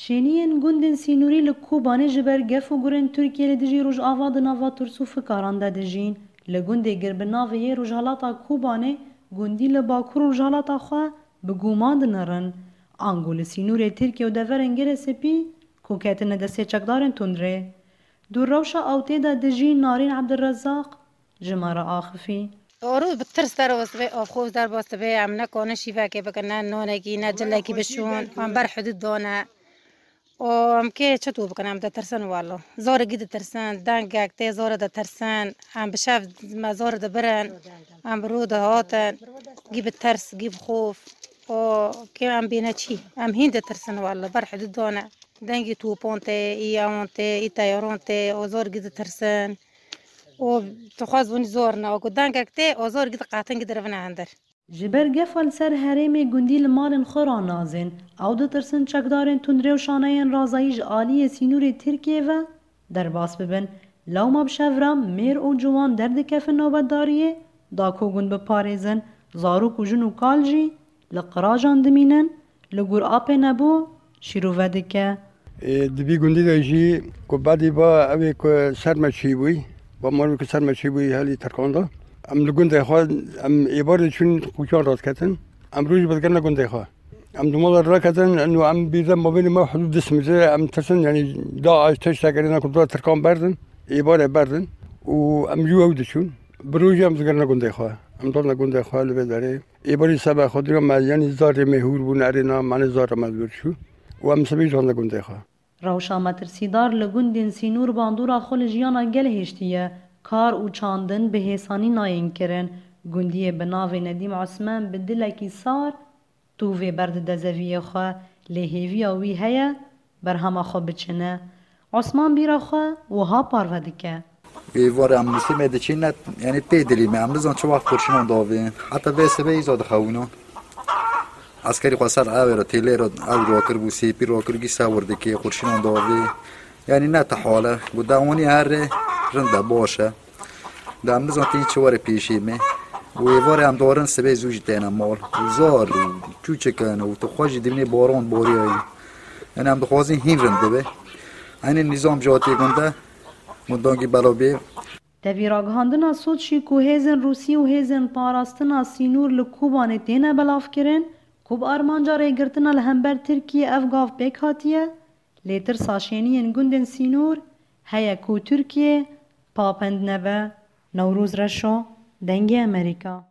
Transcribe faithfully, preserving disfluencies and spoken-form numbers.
Şêniyên gundên sînorî li Kobanê ji ber gef û gurên Tirkiyê li dijî Rojava di nava tirs û fikaran de dijîn. Li gundê gir bi navê yê Rojhalata Kobanê, gundî li bakur û rojhalata xwe bi guman dinirin. Ango li sînorê Tirkiye û deverên Girê Spî ku ketine destê çekdarên tundrê. Di rewşa ewtê de dijî Narîn Ebdulrezaq ji me re axifî. Orû bi tirs derbas dibe, avxoz derbas dibe, em ne kanin şîvekê bikin, ne nonekî, ne cilekî bişûn, em ber hidûd dane. O, em kê çi tu bikin, em ditirsin welo. Zorê gî ditirsin, dengek tê zorê ditirsin, em bi şev me zorê dibirin, em bi rû dihatin, gî bi tirs, gî bi xof. O, kê em bîne çî, em hîn ditirsin welo, ber hidûd dane. Dengî topan tê, î ewan tê, î teyaran tê, o zor gî ditirsin. O dixwaz winî zor ne, o ku dengek tê, o zor gî diqetin gî dirivine hindir. Ji ber gefa li ser herêmê gundî li malên xwe ranazên, ew ditirsin çekdarên tundrê û şaneyên razayî ji aliyê sînorê Tirkiyê ve derbas bibin. Lewma bi şev re mêr û ciwan derdikevin nobetdariyê, da ku gund biparêzin, zarok û jin û kal jî li qirajan dimînin, li gor apê nebû şîrove dike. Ê, di vî gundî de jî ku bedî ba ew ê ku ser me çêbûyî, ba malê ku ser me çêbûyî helî Tirkan de. Em li gundê xwe, em êvarê çûn qûçan rast ketin. Em roj bi digirne gundê xwe. Em di mala raketin, eno em bîrde mabênê me hudûd du sî metre, em tirsin, yanî DAIŞ tiştek kirine ku dora Tirkan berdin, êvarê berdin û em ji ew diçûn. Bi rojê em digirne gundê xwe. Em dodine gundê xwe li vê derê. Êvarî seba xwe dira me, yanî zarê me hûr bûn, erê na, me ne zarê me li vir çû. Û em sibê jî dodine gundê xwe. Rewşa metirsîdar li gundên sînor bandora xwe li jiyana gelê hiştiye. Kar û çandin bi hêsanî nayên kirin. Gundiyê bi navê Nedîm Osman bi dilekî sar tûvê berdide zeviyê xwe, lê hêviya wî heye berhema xwe biçine. Osman bîra xwe wiha parve dike. Êvarê em Muslimê diçîne, yanî tê dilî me, em nizan çi wext qurşinan davên. Heta vê sibê îza dixewinan. Eskerî xwe ser ewê re, têlê re ew rakir bû, sêpî rakir, gî sewir dikê, qurşinan davê. Yanî ne ti hal e. Got, dewanî here rind e, baş e. De em nizan tî çi were pêşî me. Û êvarê em darin sibê zû jî têne mal. Û zar û çûçik in û tu xwe jî dimînî baran bariyayî. Yanî em dixwazin hîn rind bibe. Eynî nîzam jî hatî gunde, gundangî belav bê. Tevî ragihandina Soçî ku hêzên Rûsî û hêzên parastina sînor li Kobanê têne belavkirin, ku bi armanca rêgirtina li hember Tirkiyê ev gav pêk hatiye, lê tirsa şêniyên gundên sînor heye ku Tirkiye papend nebe. Newroz Reşo, Dengê Amerîka.